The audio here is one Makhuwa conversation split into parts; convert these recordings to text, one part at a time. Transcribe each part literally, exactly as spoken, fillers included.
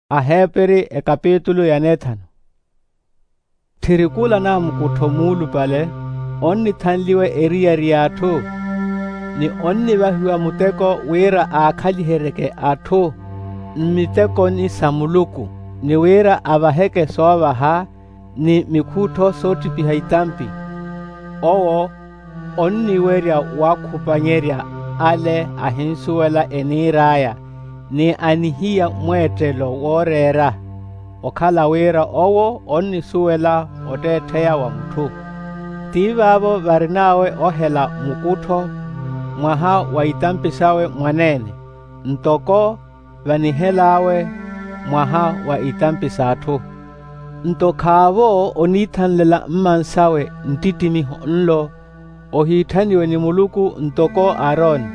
Aheperi ekapitulu ya neethanu. Tthiri kula namukuttho muulupale onnithanliwa eriyari y'atthu, ni onnivahiwa muteko wira aakhaliheryeke atthu mmitekoni sa muluku, ni wira avaheke soovaha ni mikhuttho soottipiha itampi. Owo onniwerya wakhupanyerya ale ahinsuwela eniir'aya, ni anihiya mweettelo wooreera, okhala wira owo onnisuwela otteettheya wa mutthu. Ti vaavo varin'awe ohela mukuttho mwaha wa itampi sawe mwaneene, ntoko vanihel'awe mwaha wa itampi s'atthu. Nto khaavo oniithanlela mmansawe nttittimiho nlo, ohiitthaniwe ni muluku ntoko aroni.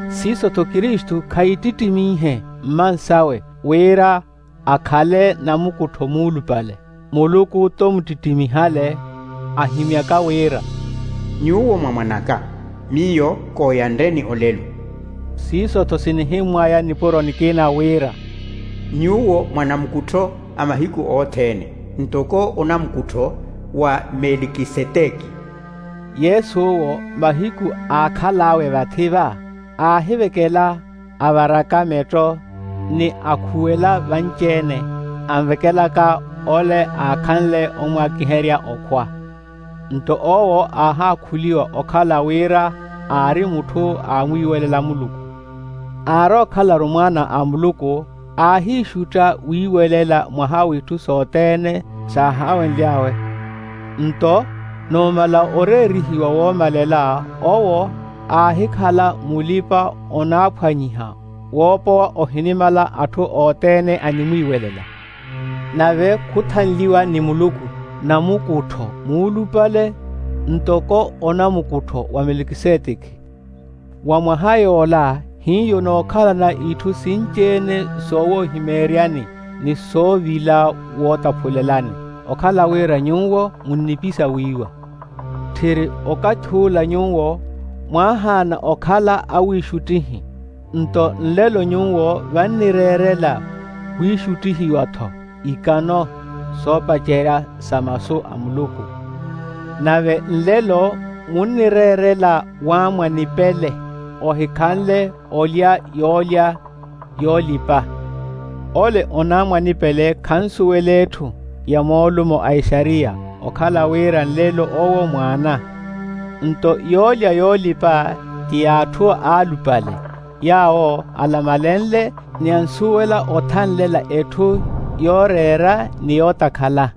Siiso-tho kristu khaittittimihe mmansawe wira akhale namukuttho muulupale. Muluku t'omuttittimiha ale, ahimyaka wira, nyuwo mwa mwan'aka, miyo kooyanreni olelo. Siiso-tho sinihimmwaya nipuro nikina wira, nyuwo mwa namukuttho a mahiku othene, ntoko onamukuttho wa melikiseteki. Yesu'wo mahiku aakhal'awe vathi va, aahivekela, avaraka metto ni akhuwela vanci-ene, anvekelaka ole aakhanle omwakiherya okhwa. Nto owo aahaakhuliwa okhala wira aari mutthu aamwiiwelela muluku. Aarookhala-ru mwaana a muluku, aahiixutta wiiwelela mwaha w'itthu sothene saahawenly'awe. Nto numala oreerihiwa woomalela owo aahikhala mulipa-onaaphwanyiha woopowa ohinimala atthu othene animwiiwelela. Nave khuthanliwa ni muluku namukuttho muulupale ntoko onamukuttho wa melikiseteki. Wa mwaha yoola hiyo nookhalana itthu sinci-ene soowoohimeeryani ni soovila wootaphulelani, okhala wira nyuwo munnipisa wiiwa. Tthiri okathi ula nyuwo mwaahaana okhala awiixuttihi, nto nlelo nyuwo vannireerela wiixuttihiwa-tho ikano soopacerya sa masu a muluku. Nave nlelo munnireerela waamwa nipele ohikhanle olya yoolya yoolipa. Ole onaamwa nipele khansuwela etthu ya moolumo a exariya, okhala wira nlelo owo mwaana. Nto yoolya yoolipa ti y'atthu aalupale, yaawo alamalenle ni ansuwela othanlela etthu yooreera ni yootakhala.